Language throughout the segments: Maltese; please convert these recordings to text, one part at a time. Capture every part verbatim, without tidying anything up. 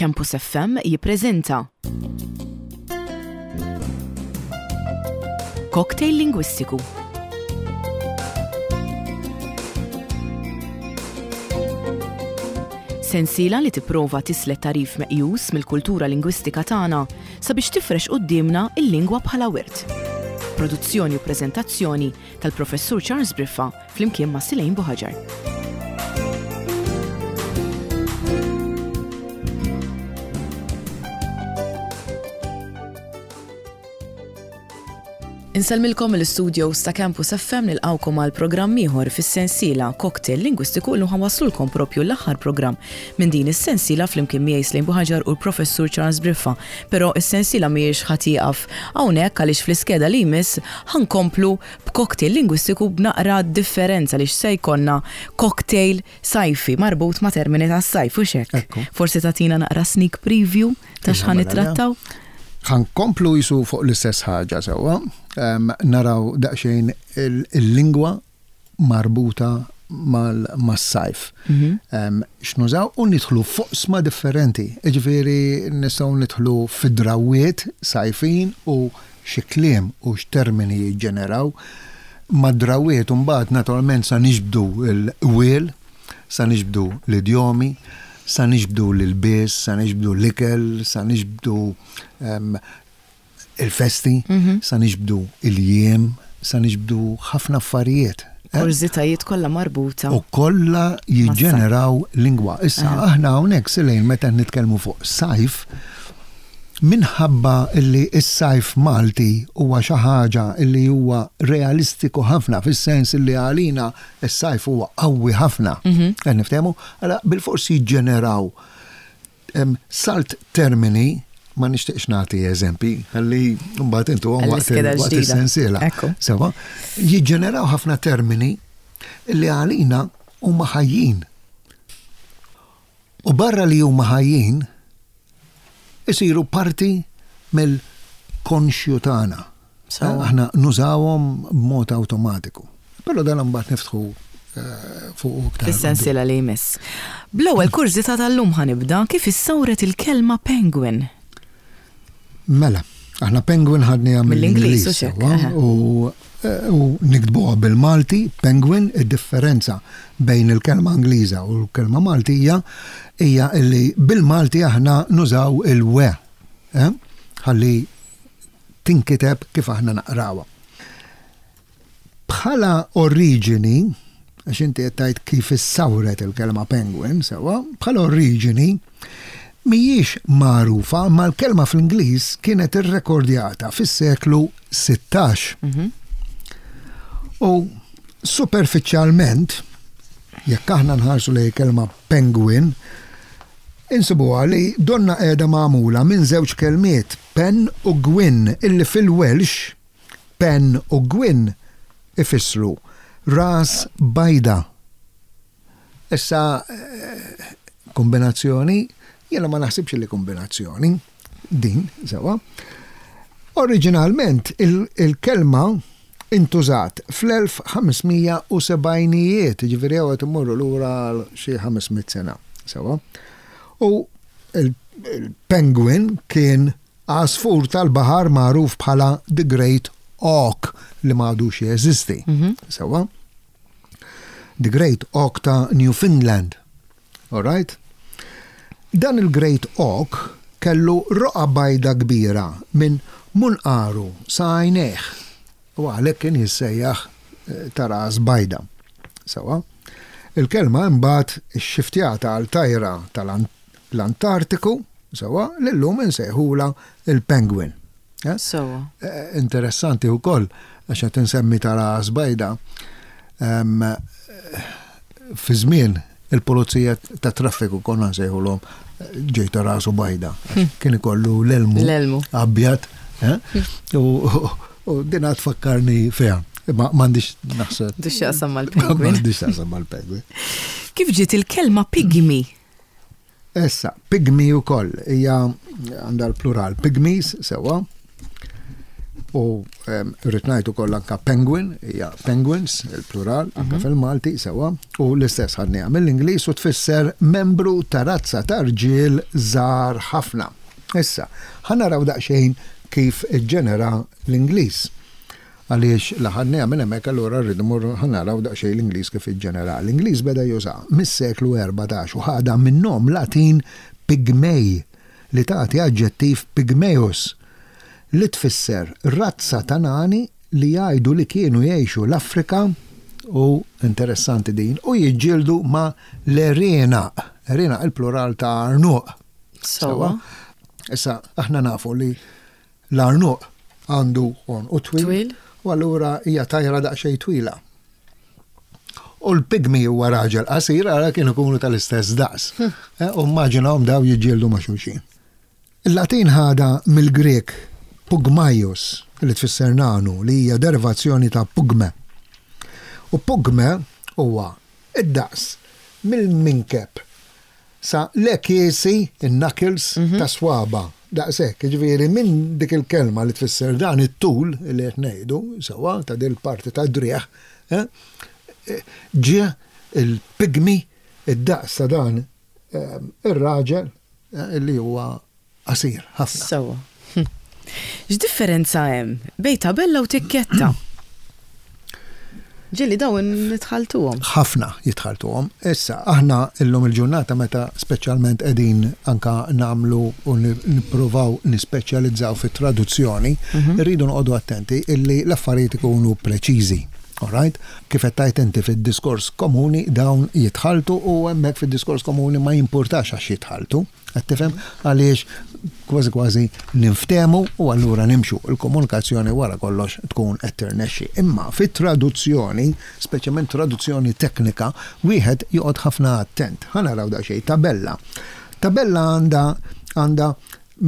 Campus F M jippreżenta Cocktail Lingwistiku. Sensiela li tipprova tislet tagħrif meqjus mill-kultura lingwistika tagħna sabiex tifrex quddiemna il-lingwa bħala wirt. Produzzjoni u preżentazzjoni tal-Professur Charles Briffa flimkien ma' Silejn Buħaġar. Insellmilkom mill-istudios ta' Campus F M, nilqawkom għal programm ieħor fis-sensiela Cocktail Lingwistiku. Illum ħa nwasslulkom propju l-aħħar programm minn din is-sensiela flimkien miegħi Slejn Buħaġar u l-Professur Charles Briffa. Però is-sensiela mhijiex ħa tieqaf hawnhekk, għaliex fl-iskeda li jmiss ħa nkomplu b'cocktail lingwistiku b'naqra differenza, li se jkollna cocktail sajfi marbut ma' termini tas-sajf u hekk. Ekku. Forsi tagħtina naqra sneak preview ta' x'ħa Iva, mela, nittrattaw? Ħa nkomplu jisu fuq l-istess ħaġa sewwa, Em, naraw daqsxejn il- il-lingwa marbuta mal- mas-sajf. Mhm. Em, X'nużaw u nidħlu f'oqsma differenti. Ġifieri nistgħu nidħlu fid-drawiet sajfin u xi kliem u x'termini jiġġeneraw. Mad-drawiet mbagħad naturalment sa niġbdu l-qwiel, sa niġbdu l-idjomi, sa niġbdu l-ilbies, sa niġbdu l-ikel, sa niġbdu em, il-festi, Mhm. sa niġbdu il-jiem, sa niġbdu ħafna affarijiet. Eh? Kurżitajiet kollha marbuta. U kollha jiġġeneraw lingwa. Issa Aha. aħna hawnhekk, Silejn, meta nitkellmu fuq sajf, minħabba illi s-sajf Malti huwa xi ħaġa illi huwa realistiku ħafna, fis-sens illi għalina s-sajf huwa qawwi ħafna. Mhm. Qed niftehmu, għala bil-forsi jiġġeneraw em, salt termini. Ma nixtieqx nagħti eżempi, ħalli mbagħad intu waqt Għall-iskeda waqt ġdida. is-sensiela. Ekku. Sewa, jiġġeneraw ħafna termini li għalina huma ħajjin. U barra li huma ħajjin, isiru parti mill-konxju tagħna. Sewa. Aħna nużawhom b'mod awtomatiku. Però dan mbagħad niftħu eh, fuq iktar. Fis-sensiela li jmiss. Bl-ewwel kurżità tal-lum ħa nibda: kif issawret il-kelma penguin? Mela, aħna penguin ħadniha Mill-Ingliż, mill-Ingliż. u xek, Sewa, aha. u eh, u niktbuha bil-Malti, penguin. Id-differenza bejn il-kelma Ingliża u l-kelma Maltija hija illi bil-Malti aħna nużaw il-we, eh? Ħalli tinkiteb kif aħna naqrawha. Bħala oriġini, għax inti qed tgħid kif issawret il-kelma penguin, sewa, bħala oriġini mhijiex magħrufa, ma l-kelma fl-Ingliż kienet irrekordjata fis-seklu sittax. Mhm. U superfiċjalment, jekk aħna nħarsu lejn kelma penguin, insibuha li donna qiegħda magħmula minn żewġ kelmiet, pen u gwyn, illi fil-Welsh pen u gwyn ifissru ras bajda. Issa eh, kombinazzjoni, jiena ma naħsibx li kombinazzjoni din, sewa. Oriġinalment il- il-kelma intużat fl-elf ħames mija u sebgħinijiet, ġifieri għawet immorru lura għal xi ħames mitt sena, sewa. U il- il-penguin kien għasfur tal-bahar magħruf bħala The Great Auk li m'għadux jeżisti. Mhm. Sewa. The Great Auk ta' Newfoundland. All right? Dan il-Great Auk kellu roqa bajda kbira minn munqaru sa għajnejh. U għalhekk kien jissejjaħ eh, ta' ras bajda. Sewa. Il-kelma imbagħad xxiftjata għal tajra tal-Antartiku, sewa, l-lum insejħula il-penguin. Eh? Sewa. Eh, Interessanti wkoll, għax qed insemmi ta' ras bajda. Em, eh, Fi żmien il-pulizija ta' traffiku konna nsejħulhom eh, ġej ta' rasu bajda. Għax kien ikollu l-elmu L-elmu. abjad. Eh? U u din għad tfakkarni fiha. Ma m'għandix naħseb. M'għandux x'jaqsam mal-penguin. M'għandix x'jaqsam mal-penguin. Kif ġiet il-kelma pygmy? Issa, pygmy u koll, hija għandha l-plural, pygmies, sewa. U rrid ngħid ukoll anka penguin, hija penguins, il-plural, anka fil-Malti, sewwa, u l-istess ħadniha mill-Ingliż u tfisser membru ta' razza ta' rġiel żgħar ħafna. Issa, ħa naraw daqsxejn kif iġġenera l-Ingliż. Għaliex la ħadniha minn hemmhekk, allura rridu mmorru ħa naraw daqsxejn l-Ingliż kif iġġenera. L-Ingliż beda juża mis-seklu erbatax u ħadha minn nom Latin pygmei li tagħti aġġettiv pygmaeus li tfisser razza ta' nani li jgħidu li kienu jgħixu l-Afrika, u interessanti din, u jiġġieldu ma' l-għerienaq. Għerienaq, il-plural ta' għarnuq. Sewwa. Issa, aħna nafu li l-għarnuq għandu għonqu twil, Twil. u allura hija tajra daqsxejn twila. U l-pygmy huwa raġel qasir, ara kienu kunu tal-istess daqs. Eh, U immaġinahom daw jiġġieldu ma' xulxin. Il-Latin ħada mill-Grek pugmaios, li tfisser nanu, li hija derivazzjoni ta' pugme. U pugme huwa id-daqs mill-minkeb sa l-għekiesi, il-knuckles ta' swaba. Daqshekk, ġifieri minn dik il-kelma li tfisser dan it-tul li qed ngħidu, sewwa, ta' dil parti ta' driegħ, eh, ġie il-pygmy, id-daqs ta' dan eh, ir-raġel eh, li huwa qasir ħafna. Sewwa. Hm. X'differenza hemm bejn tabella u tikketta? Ġieli dawn nitħaltuhom. Ħafna jitħaltuhom. Issa, aħna illum il-ġurnata, meta speċjalment qegħdin anka nagħmlu u nippruvaw nispeċjalizzaw fit-traduzzjoni, irridu noqogħdu attenti illi l-affarijiet ikunu preċiżi. Alright? Kif qed tgħid inti, fid-diskors komuni dawn jitħaltu u hemmhekk fid-diskors komuni ma jimpurtax għax jitħaltu. Qed tifhem, għaliex kważi kważi ninftemu u allura nimxu, il-komunikazzjoni wara kollox tkun qed tirnexxi. Imma fit-traduzzjoni, speċjalment traduzzjoni teknika, wieħed joqgħod ħafna attent. Ħa naraw daqsxejn tabella. Tabella għandha għandha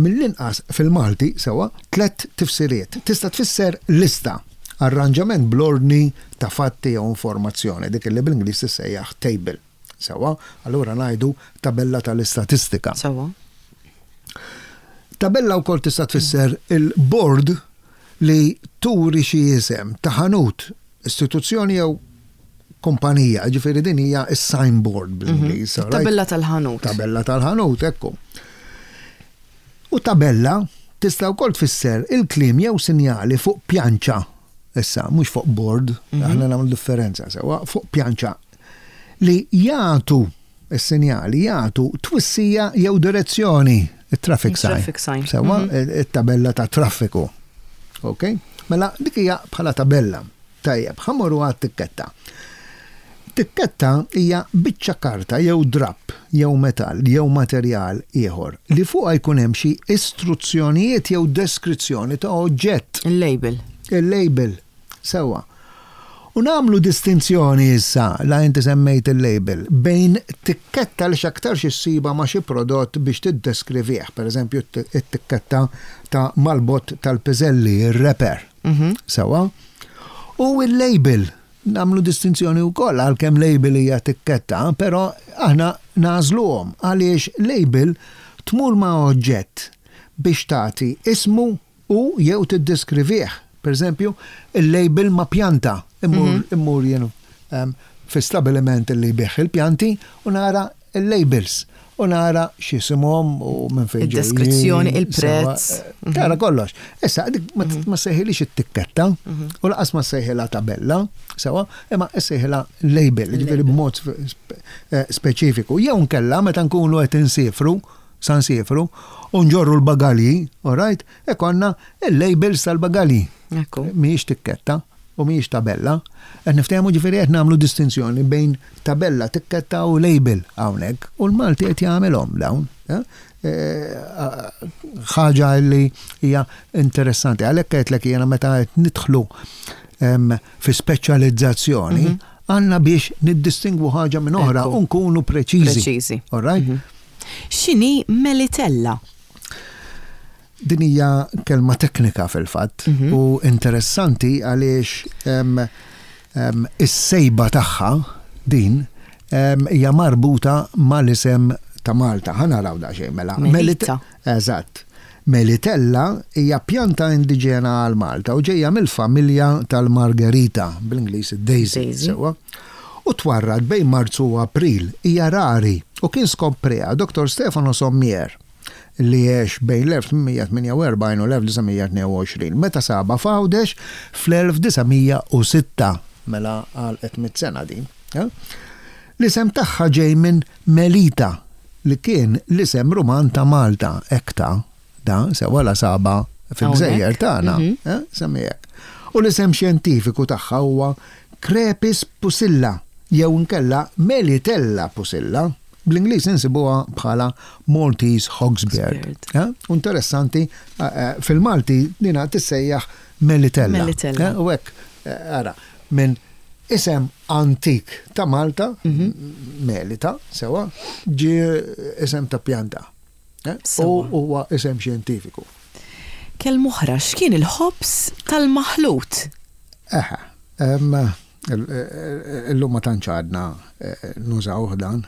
mill-inqas fil-Malti, sewwa, tlet tifsiriet. Tista' tfisser lista, arranġament bl-ordni ta' fatti jew informazzjoni, dik li bl-Ingliż tissejjaħ table. Sewwa, allura ngħidu tabella tal-istatistika. Sewwa. Tabella wkoll tista' tfisser il-board li turi xi isem ta' ħanut, istituzzjoni jew kumpanija, ġifieri din hija is-signboard bl-Ingliż. Alright? Tabella tal-ħanut. Tabella tal-ħanut, ekku. U tabella tista' wkoll tfisser il-kliem jew sinjali fuq pjanċa. Issa, mhux fuq board, aħna nagħmlu differenza sewwa, fuq pjanċa li jagħtu is-sinjali, jagħtu twissija jew direzzjoni, il-traffic sign. Il-traffic sign. Sewwa, it-tabella ta' traffiku. Ok? Mela dik hija bħala tabella. Tajjeb, ħa mmorru għat-tikketta. Tikketta hija biċċa karta jew drapp jew metall jew materjal ieħor li fuqha jkun hemm xi istruzzjonijiet jew deskrizzjoni ta' oġġett. Il-label. Il-label, sewwa. U nagħmlu distinzjoni issa, la inti semmejt il-label, bejn tikketta li x'aktarx issibha ma' xi prodott biex tiddeskrivih, per eżempju it-tikketta ta' mal-bott tal-piżelli, il-wrapper. Sewwa. U il-label, nagħmlu distinzjoni wkoll, għalkemm label hija tikketta, però aħna nagħżluhom għaliex label tmur ma' oġġett biex tagħti ismu u jew tiddeskrivih. Per eżempju, il-label ma' pjanta. Immur, immur jien um, fi stabiliment li jbigħ il-pjanti u nara il-labels u nara x'isimhom u minn fejn ġejjin. Id-deskrizzjoni, il-prezz. Sewwa, tara kollox. Issa, dik ma ma sejħilix it-tikketta u lanqas ma sejħilha tabella, sewwa, imma sejħilha label, ġifieri b'mod spe- eh, speċifiku. Jew nkella meta nkunu qed insifru, sa nsifru, u nġorru l-bagalji, all right, ikollna il-labels tal-bagalji. Ekku. Mhijiex tikketta u mhijiex tabella. Qed niftehmu, ġifieri qed nagħmlu distinzjoni bejn tabella, tikketta u label hawnhekk. U l-Malti qed jagħmelhom dawn. eh? Eh, ħaġa li hija interessanti. Għalhekk qedlek jiena, meta qed nidħlu em, fi speċjalizzazzjoni, għandna biex niddistingwu ħaġa minn oħra Ekku. u nkunu preċiżi. Preċiżi. All right? X'inhi melitella? Din hija kelma teknika fil-fatt u interessanti għaliex em, em, is-sejba tagħha din em, hija marbuta mal-isem ta' Malta. Ħa naraw daqsxejn mela. Melita. Eżatt. Melitella hija pjanta indiġena għal Malta u ġejja mill-familja tal-Margerita, bl-Ingliż Daisy. Daisy. Sewwa. U twarrad bejn Marzu u April, hija rari u kien skopriha Doktor Stefano Sommier li għex bejn l-elf tmien mija tmienja u erbgħin u l-elf disa' mija tnejn u għoxrin meta saba f'Għawdex fl-elf disa' mija u sitta, mela għal mitt sena din. Eh? L-isem tagħha ġej minn Melita, li kien l-isem Ruman ta' Malta, ekta, da, sewa la saba fil-gżejjer Hawnhekk. tagħna, eh, semmijek. U l-isem xjentifiku tagħha huwa Crepis pusilla, jew inkella Melitella pusilla. Bl-Ingliż insibuha bħala Maltese Hawksbeard. Hawksbeard. Eh? Interessanti, eh, eh, fil-Malti dina tissejjaħ Melitella. Melitella. Eh, U hekk, eh, ara, minn isem antik ta' Malta, Melita, sewa, ġi isem ta' pjanta. Eh? U Sewa. huwa isem xjentifiku. Kelma oħra, x'kien il-ħobż tal-maħlut? Eħe, em, il- il- illum ma tantx għadna eh, nużaw dan,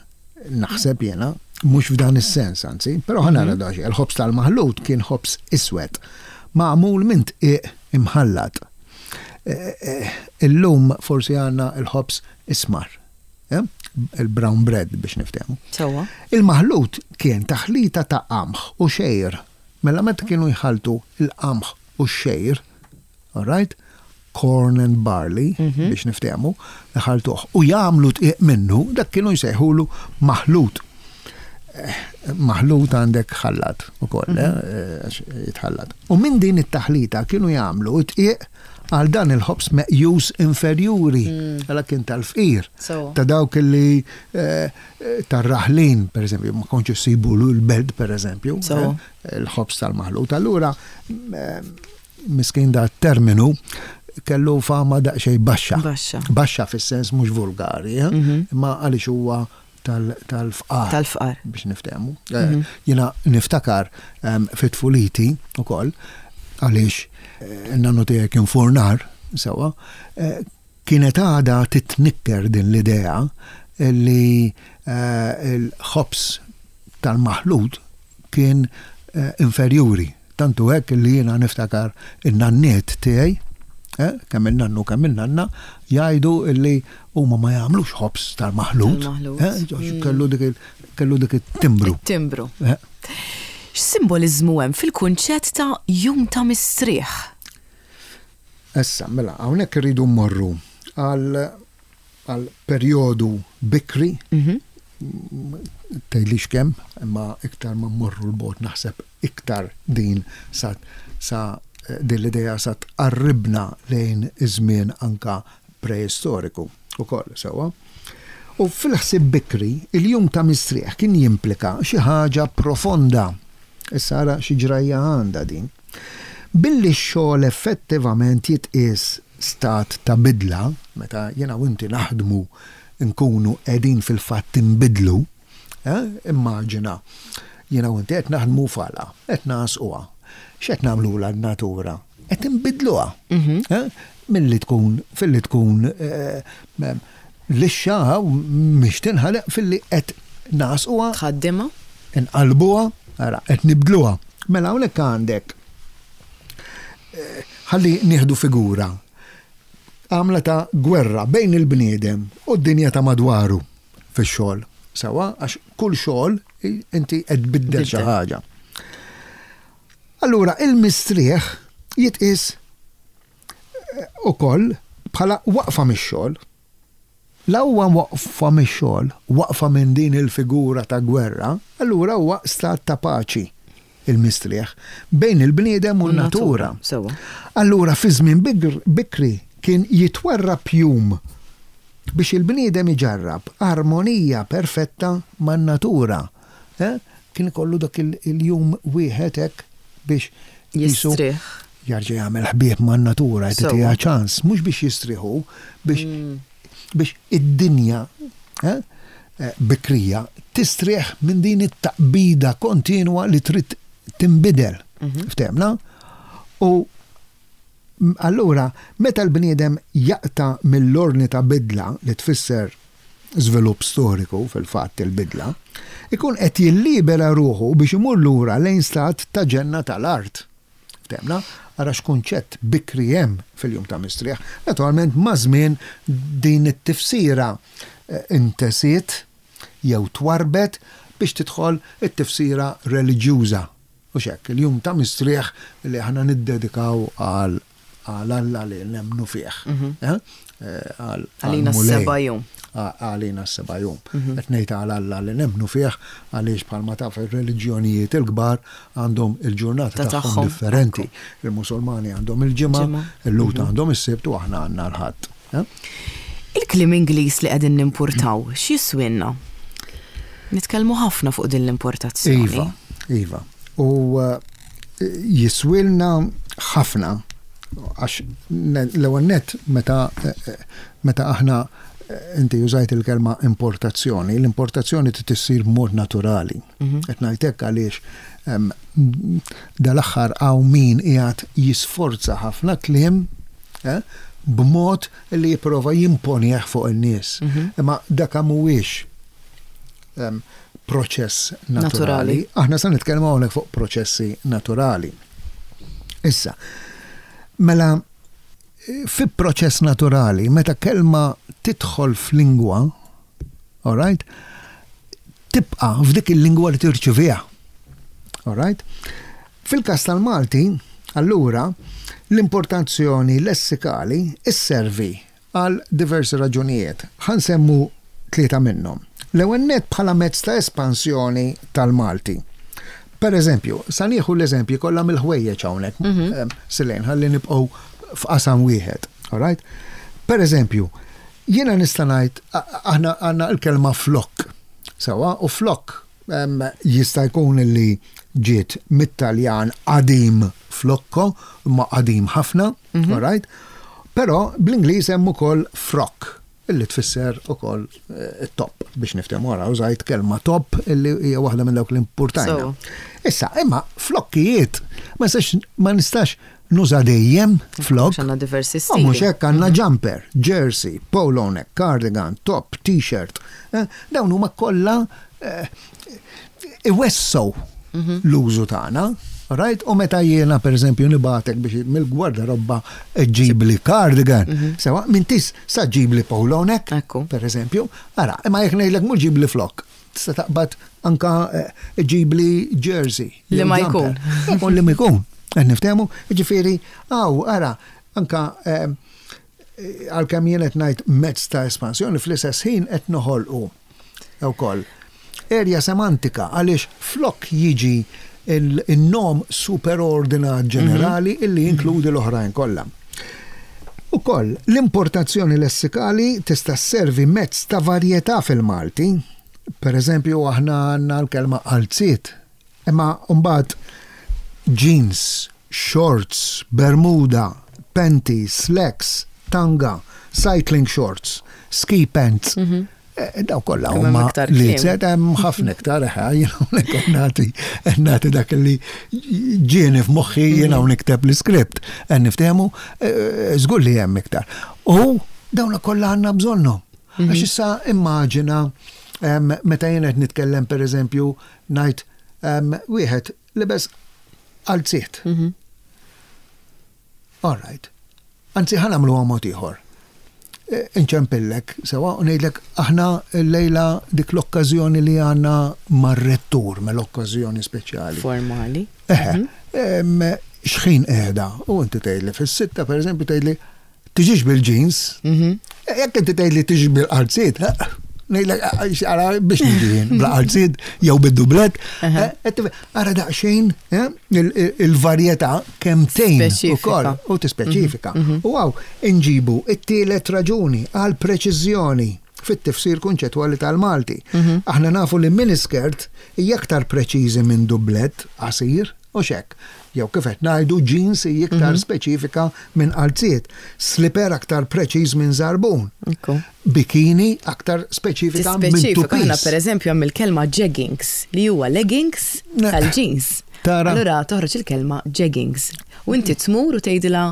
naħseb jena, mhux f'dan is-sens anzi, però ħa nara daxi, il-ħobż tal-maħlut kien ħobż iswed, magħmul minn dqiq imħallat. Eh, eh, Illum forsi għandna il-ħobż ismar, eh? Il-brown bread biex niftehmu. Sewwa. Il-maħlut kien taħlita ta' qamħ u xgħir. Mela meta kienu jħaltu il-qamħ u x-xgħir, all right? Corn and barley, biex niftehmu, jħaltuh u jagħmlu dqiq minnu, dak kienu jsejħulu maħlut. Eh, Maħlut għandek ħallat ukoll, eh, għax jitħallat. U minn din it-taħlita kienu jagħmlu dqiq għal dan il-ħobż meqjus inferjuri, għala kien tal-fqir. Sewwa. Ta' dawk li eh, eh, tar-raħlin, per eżempju, ma kontx issibu l-belt, per eżempju, Sewwa. eh, il-ħobż tal-maħlut. Allura, eh, miskin da terminu kellu fama daqsxejn baxxa. Baxxa. Baxxa fis-sens mhux vulgari, eh? Imma għaliex huwa tal- tal-fqar. Tal-fqar. Biex niftehmu. Eh, Jiena niftakar em, fit-tfuliti ukoll, għaliex eh, n-nannu tiegħi kien furnar, sewa, eh, kienet għada titnikker din l-idea li eh, il-ħobż tal-maħlut kien eh, inferjuri. Tantu hekk li jiena niftakar in-nanniet tiegħi, eh, kemm il-nannu kemm il-nanna, jgħidu li huma ma jagħmlux ħobż tal-maħlut. Tal-maħlut. eh, għax kellu dik il- kellu dik it-timbru. Timbru. Eh, X'simboliżmu hemm fil-kunċett ta' jum ta' mistrieħ? Issa, mela, hawnhekk irridu mmorru għal għal perjodu bikri, tgħidlix kemm, imma iktar ma mmorru 'l bogħod naħseb iktar din sa, sa eh, din l-idea sa tqarribna lejn iż-żmien anka preistoriku ukoll sewwa. U fil-ħsib bikri, il-jum ta' mistrieħ kien jimplika xi ħaġa profonda. Issa ara xi ġrajja għandha din. Billi x-xogħol effettivament jitqies stat ta' bidla, meta jiena u inti naħdmu nkunu qegħdin fil-fatt inbidlu, eh? Immaġina, jiena u inti qed naħdmu fala, qed nagħsquha. X'qed nagħmlu l-natura? Qed inbidluha. Eh? Milli tkun, filli tkun eh, mem, lixxa mhix tinħaleq filli qed nagħsquha Tħaddimha? inqalbuha, ara, qed nibdluha. Mela hawnhekk għandek eh, ħalli nieħdu figura għamla ta' gwerra bejn il-bniedem u d-dinja ta' madwaru fix-xogħol. Sewa, għax kull xogħol i- inti qed tbiddel xi Biddel. ħaġa. Allura il-mistrieħ jitqis eh, ukoll bħala waqfa mix-xogħol. La huwa waqfa mix-xogħol, waqfa minn din il-figura ta' gwerra, allura huwa stat ta' paċi il-mistrieħ bejn il-bniedem u n-natura. Sewwa. Allura fi żmien bikr- bikri kien jitwarrab jum biex il-bniedem iġarrab armonija perfetta man-natura. Eh? Kien ikollu dak il- il-jum wieħed hekk biex jisu Jistrieħ. jarġa' jagħmel ħbieb man-natura, Sewwa. jtiha ċans, mhux biex jistrieħu, biex biex id-dinja eh, eh, bikrija tistrieħ minn din it-taqbida kontinwa li trid tinbidel. Ftehmna? U m- allura, meta l-bniedem jaqta mill-ordni ta' bidla li tfisser żvilupp storiku fil-fatt il-bidla, ikun qed jillibera ruħu biex imur lura lejn stat ta' ġenna tal-art. Ftemna, ara x'kunċett bikri hemm fil-jum ta' mistrieħ. Naturalment maż-żmien din it-tifsira eh, intesiet jew twarbet biex tidħol it-tifsira reliġjuża. U xek, il-jum ta' mistrieħ li aħna niddedikaw għal għal Alla li nemmnu fih. Eh? Eh, għal- Għalina għal-Mulej. s-seba' jum. Qa- Għalina s-seba' jum. Qed ngħid għal Alla li nemmnu fih għaliex bħalma taf ir-reliġjonijiet il-kbar għandhom il-ġurnata Ta' tagħhom tagħhom, differenti. Il-Musulmani għandhom il-ġimgħa, Ġimgħa. il-Lhud għandhom is-Sibt u aħna għandna l-Ħadd. Eh? Il-kliem Ingliż li qegħdin nimportaw, x'jiswinna? Nitkellmu ħafna fuq din l-importazzjoni. Iva, iva. U uh, jiswilna ħafna għax ne- l-ewwel nett meta eh, eh, meta aħna eh, inti użajt il-kelma importazzjoni, l-importazzjoni trid issir b'mod naturali. Qed ngħid hekk għaliex em, dal-aħħar hawn min qiegħed jisforza ħafna kliem eh, b'mod li jipprova jimponih fuq in-nies. Imma dak mhuwiex em, proċess naturali. Naturali. Aħna sa nitkellmu hawnhekk fuq proċessi naturali. Issa, mela fi proċess naturali, meta kelma tidħol f'lingwa, all right, tibqa f'dik il-lingwa li tirċiviha. All right? Fil-kas tal-Malti, allura, l-importazzjoni lessikali isservi għal diversi raġunijiet. Ħa nsemmu tlieta minnhom. L-ewwel nett bħala mezz ta' espansjoni tal-Malti. Per eżempju, sa nieħu l-eżempji kollha mill-ħwejjeġ hawnhekk, em, Silejn, ħalli nibqgħu f'qasam wieħed. All right? Per eżempju, jiena nista' ngħid a- aħna għandna l-kelma flok. Sewwa, u flok em, jista' jkun li ġiet mit-Taljan qadim flocco, ma qadim ħafna, all right? Però bl-Ingliż hemm ukoll frock illi tfisser ukoll eh, top biex niftehmu wara użajt kelma top illi hija waħda minn dawk li importajna. So. Issa, imma flokkijiet ma nistax ma nistax nuża dejjem flok. Għax għandna diversi U stili. mhux hekk għandna jumper, jersey, polo neck, cardigan, top, t-shirt. Eh, Dawn huma kollha eh, iwessgħu l-użu tagħna. Right? U meta jiena per eżempju nibagħtek biex mill-gwardarobba ġibli cardigan, sewwa m'intix sa ġibli polo neck, Ekku. per eżempju, ara, imma jekk ngħidlek mhux ġibli flok, tista' taqbad anka eh, ġibli jersey. Li jew ma jumper. jkun. Ikun li ma jkun. Qed niftehmu, ġifieri, aw, ara, anka eh, għalkemm jien qed ngħid mezz ta' espansjoni fl-istess ħin qed noħolqu wkoll erja semantika għaliex flok jiġi il-nom superordinat ġenerali illi jinkludi l-oħrajn kollha. Ukoll, l-importazzjoni lessikali tista' sservi mezz ta' varjetà fil-Malti. Per eżempju, aħna għandna l-kelma qalziet. Imma mbagħad jeans, shorts, bermuda, panties, slacks, tanga, cycling shorts, ski pants. Eh, Daw kollha Kemm hemm huma iktar li kliem. zed hemm ħafna iktar eħe, jien hawnhekk qed nagħti qed nagħti dak li ġieni f'moħħi jiena hawn nikteb l-iskript. Qed niftehmu eh, żgur li hemm iktar. U dawna kollha għandna bżonnhom. Għax issa immaġina em, meta jien qed nitkellem pereżempju ngħid em, wieħed libes qalziet. All right. Anzi, ħa nagħmlu mod ieħor. E, Inċempillek, sewwa, u ngħidlek aħna l-lejla dik l-okkażjoni li għandna mar-rettur, me l-okkażjoni speċjali. Formali. Eħe, em, xħin qiegħda, u inti tgħidli fis-sitta, per eżempju, tgħidli tiġix bil-jeans, E, jekk inti tgħidli tiġix bil-qalziet, ngħidlek ara biex niġi jien, bla qalziet jew bid-dublet, eh, qed tifhem, ara daqsxejn eh, il- il- il-varjetà kemm tgħin Speċifika. ukoll u tispeċifika. U hawn inġibu it-tielet raġuni għal preċiżjoni fit-tifsir kunċettwali tal-Malti. Aħna nafu li miniskirt hija aktar preċiżi minn dublet qasir u xek. Jew kif qed ngħidu jeans hija iktar speċifika minn qalziet, slipper aktar preċiż minn żarbun. Ekku. Bikini aktar speċifika minn Tispeċifika aħna two-piece. per eżempju hemm il-kelma jeggings li huwa leggings Ne. tal-jeans. Tara. Allura toħroġ il-kelma jeggings. U inti tmur u tgħidilha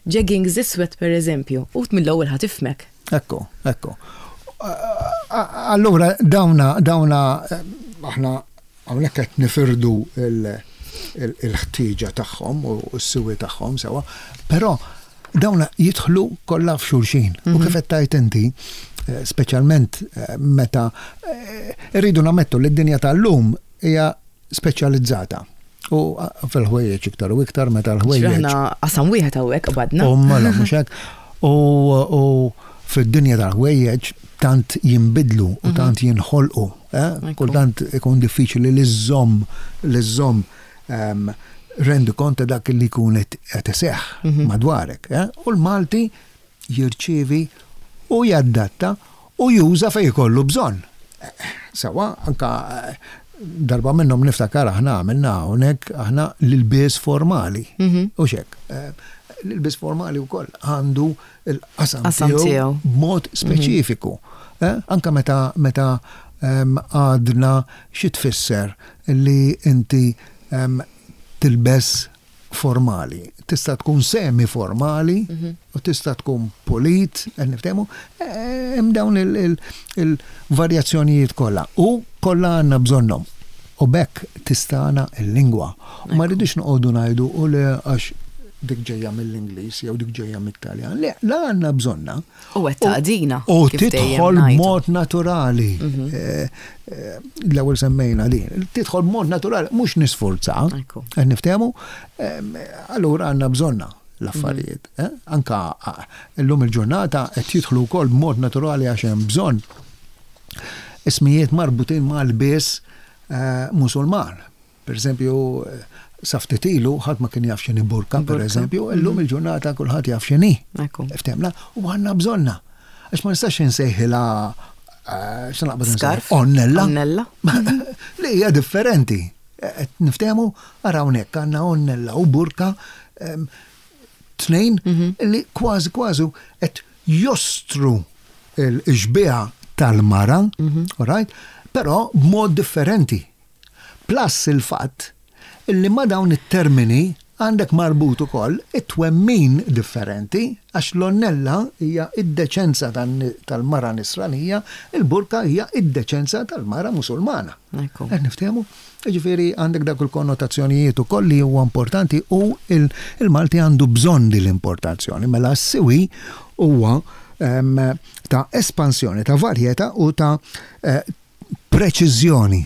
jeggings iswed per eżempju u mill-ewwel ħa tifhmek. Ekku, ekku. Allura dawna dawna aħna hawnhekk qed nifirdu il-ħtieġa tagħhom u s-siwi tagħhom sewwa, però dawna jidħlu kollha f'xulxin. U kif qed tgħid inti, speċjalment meta irridu nammettu li d-dinja tal-lum hija speċjalizzata. U fil-ħwejjeġ iktar u iktar meta l-ħwejjeġ. Aħna qasam wieħed hawnhekk qbadna. U mela mhux hekk. U fid-dinja tal-ħwejjeġ tant jinbidlu u tant jinħolqu. Kultant ikun diffiċli li żżomm li żżomm rendi kont ta' dak li jkun qed iseħħ madwarek. U l-Malti jirċievi u jaddatta u juża fejn ikollu bżonn. Sewwa, anka darba minnhom niftakar aħna għamilna hawnhekk aħna l-ilbies formali. U xek, l-ilbies formali wkoll għandu l-qasam tiegħu b'mod speċifiku. Anka meta meta għadna xi tfisser li inti tilbes formali. Tista' tkun semi formali u tista' tkun polit, qed niftehmu, hemm dawn il-varjazzjonijiet kollha u kollha għandna bżonnhom. U b'hekk tistana l-lingwa. U ma rridux noqogħdu ngħidu u le għax dik ġejja mill-Ingliż jew dik ġejja mit-Taljan. Le, la għandna bżonna. U qed taqdina. U tidħol b'mod naturali. L-ewwel semmejna din. Tidħol b'mod naturali, mhux nisforza. Qed niftehmu, allura għandna bżonna l-affarijiet. Anka llum il-ġurnata qed jidħlu wkoll b'mod naturali għax hemm bżonn ismijiet marbutin mal-bies Musulman. Per eżempju, sa ftit ilu ħadd ma kien jaf x'inhi burka, per eżempju, illum il-ġurnata kulħadd jaf x'inhi. Ftehmna, u għandna bżonna. Għax ma nistax insejħilha x'naqbad Scarf. Onnella. Onnella. Li hija differenti. Niftehmu, ara hawnhekk għandna onnella u burka tnejn li kważi kważi qed jostru l-xbieha tal-mara, right? Però b'mod differenti. Plus il-fatt illi ma dawn it-termini għandek marbut ukoll it-twemmin differenti, għax l-onnella hija id-deċenza tal-mara nisranija, il-burka hija id-deċenza tal-mara musulmana. Qed niftehmu? Jiġifieri għandek dak il-konnotazzjonijiet ukoll li huwa importanti u il-Malti għandu bżonn din l-importazzjoni. Mela s-siwi huwa ta' espansjoni, ta' varjetà u ta' preċiżjoni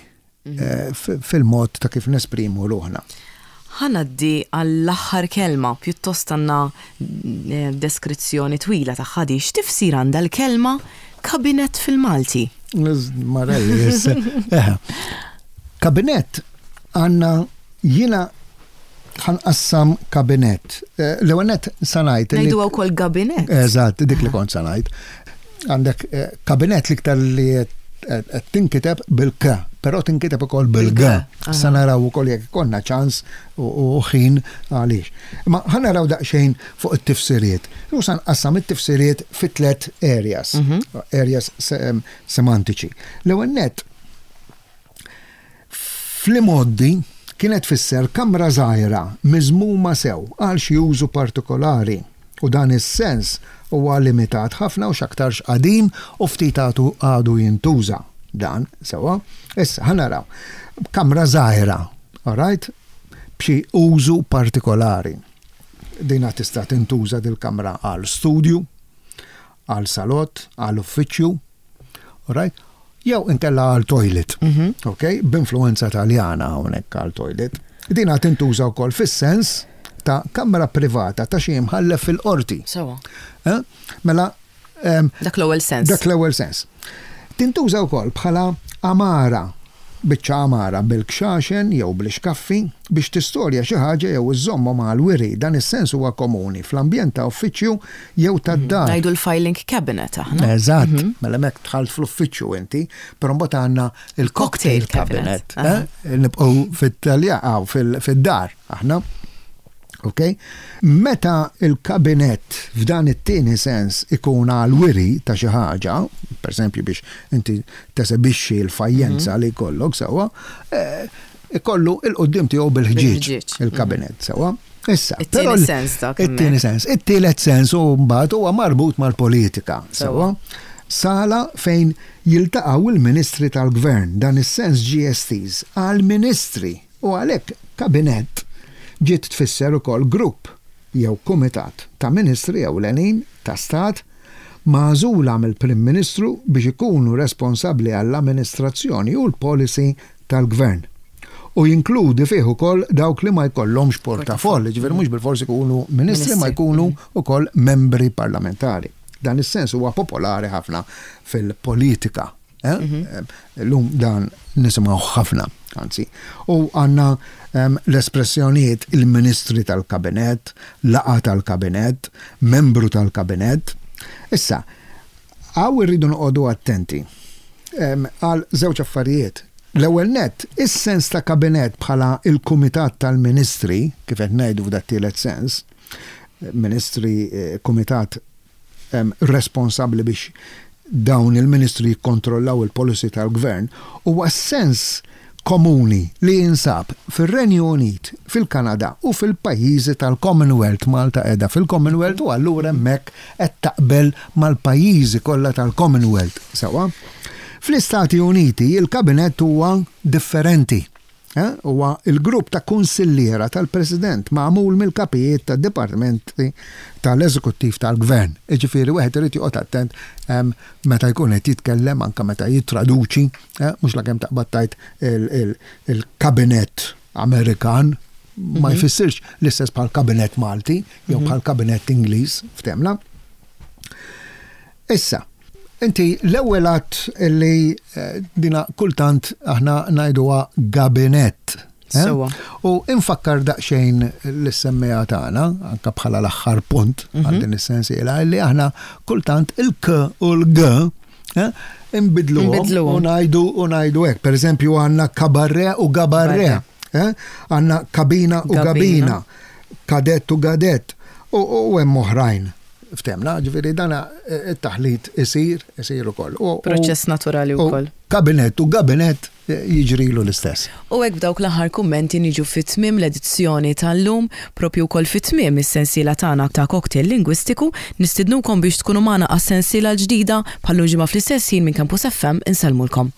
fil-mod ta' kif nesprimu ruħna. Ħa ngħaddi għall-aħħar kelma, pjuttost għandna deskrizzjoni twila ta' ħadi. X'tifsir għandha l-kelma kabinet fil-Malti? Marelli, Kabinet għandna jiena ħanqassam kabinet. L-ewwel nett sa ngħid. Ngħidu wkoll gabinet. Eżatt, dik li kont sa ngħid. Għandek kabinet l-iktar li qed tinkiteb bil-K, però tinkiteb ukoll bil-G. Sa naraw ukoll jekk ikollna ċans u ħin għaliex. Ma ħa naraw daqsxejn fuq it-tifsiriet. U sa nqassam it-tifsiriet fi tliet areas, areas semantiċi. L-ewwel nett, fl-imgħoddi kienet tfisser kamra żgħira miżmuma sew għal xi użu partikolari. U dan is-sens huwa limitat ħafna u x'aktarx qadim u ftit għadu jintuża dan sewwa. Issa ħa naraw kamra żgħira, all right, b'xi użu partikolari. Dina tista' tintuża dil-kamra għal studju, għal salott, għal uffiċċju, all right, jew inkella għal toilet, ok, b'influenza Taljana hawnhekk għal toilet. Dina tintuża wkoll fis-sens ta' kamra privata ta' xi mħallef fil-qorti. Sewwa. Mela, dak l-ewwel sens. Dak l-ewwel sens. Tintuża wkoll bħala amara, biċċa amara bil-kxaxen jew bl-ixkaffi biex tistorja xi ħaġa jew iżżommhom għal wiri. Dan is-sens huwa komuni fl-ambjent ta' uffiċċju jew tad-dar. Ngħidu l-filing cabinet aħna. Eżatt, mela hemmhekk dħalt fl-uffiċċju inti, però mbagħad għandna il-cocktail cabinet. Nibqgħu fit-Talja, fid-dar aħna. Ok? Meta il-kabinet f'dan it-tieni sens ikun għal wiri ta' xi ħaġa, per eżempju biex inti tesebixxi l-fajjenza li jkollok sewwa, ikollu il-qudiem tiegħu bil-ħġieġ il-kabinet sewwa. Issa, it-tieni sens dak it-tieni sens. It-tielet sens u mbagħad huwa marbut mal-politika sewwa. Sala fejn jiltaqgħu il-ministri tal-gvern, dan is-sens ġie estiż għal-ministri u għalhekk kabinett ġiet tfisser ukoll grupp jew kumitat ta' ministri ewlenin ta' stat magħżula mill-Prim Ministru biex ikunu responsabbli għall-amministrazzjoni u l-policy tal-gvern. U jinkludi fih ukoll dawk li ma jkollhomx portafoll, ġifieri mhux bilfors ikunu ministri ma jkunu ukoll membri parlamentari. Dan is-sens huwa popolari ħafna fil-politika. Eh? Mhm. Illum dan nisimgħu ħafna, anzi. U għandna l-espressjonijiet il-ministri tal-kabinett, laqgħa tal-kabinett, membru tal-kabinett. Issa, hawn irridu noqogħdu attenti għal żewġ affarijiet. L-ewwel net, is-sens ta' kabinett bħala il-Kumitat tal-Ministri, kif qed ngħidu f'dat tielet sens, ministri, eh, kumitat responsabbli biex dawn il-ministri jikkontrollaw il-policy tal-gvern, huwa sens komuni li jinsab fil-Renju Unit, fil-Kanada u fil-pajjiżi tal-Commonwealth. Malta qiegħda fil-Commonwealth u allura hemmhekk qed taqbel mal-pajjiżi kollha tal-Commonwealth. Sewwa? Fl-Istati Uniti il-kabinett huwa differenti. Eh, huwa il-grupp ta' kunsilliera tal-President magħmul mill-kapijiet ta' dipartimenti tal-eżekuttiv tal-gvern. Iġifieri wieħed irid joqgħod attent meta jkun qed jitkellem, anke meta jittraduċi, eh, mhux lakemm taqbad tgħid il-kabinett Amerikan ma mhm. jfissirx l-istess bħal kabinett Malti jew mhm. bħal kabinett Ingliż, ftehimna. Issa, inti l-ewwel għedt li eh, dina kultant aħna ngħiduha gabinett. Eh? U infakkar daqsxejn lis-semmiegħa tagħna, anka bħala l-aħħar punt għal mhm. din is-sensiela, li aħna kultant il-K u l-G eh, imbidlu u ngħidu u ngħidu hekk. Per eżempju, għandna kabarre u gabarre, għandna kabina u gabina, kadett u gadett u hemm oħrajn. Ftehimna, ġifieri dana eh, it-taħlit isir, isir ukoll. Proċess naturali wkoll. Kabinet u gabinet eh, jiġrilu l-istess. U hekk b'dawk l-aħħar kummenti niġu fit-tmiem l-edizzjoni tal-lum, propju wkoll fit-tmiem is-sensiela tagħna ta' Cocktail Lingwistiku. Nistidnukom biex tkunu magħna għas-sensiela l-ġdida bħal ġimgħa fl-istess ħin minn Campus F M. Insellmulkom.